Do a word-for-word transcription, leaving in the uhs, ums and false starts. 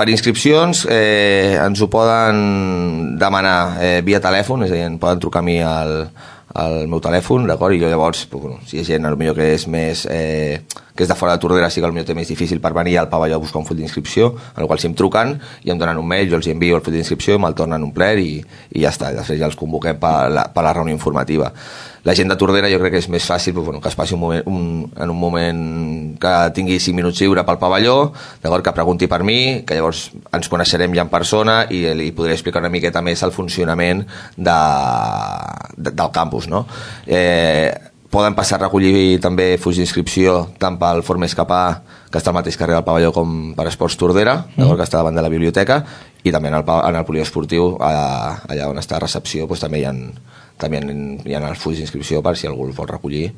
per inscripcions eh, ens ho poden demanar eh, via telèfon, és a dir, em poden trucar a mi al, al meu telèfon, d'acord? I jo llavors, bueno, si hi ha gent potser que és més eh, que és de fora de Tordera, sí que potser té més difícil per venir al pavelló a buscar un full d'inscripció, en el qual si em truquen i em donen un mail, jo els envio el full d'inscripció, me'l tornen un ple i, i ja està, després ja els convoquem per la, per la reunió informativa. La gent de Tordera jo crec que és més fàcil però, bueno, que es passi un moment, un, en un moment que tingui cinc minuts lliure pel pavelló, d'acord, que pregunti per mi, que llavors ens coneixerem ja en persona i li podré explicar una miqueta més el funcionament de, de, del campus, no? Eh, poden passar a recollir també fulls d'inscripció tant pel Forn Escapar, que està al mateix carrer del pavelló, com per Esports Tordera, mm. que està davant de la biblioteca, i també en el, en el poliesportiu, allà on està a recepció, doncs també hi ha, també hi ha els fulls d'inscripció per si algú el vol recollir.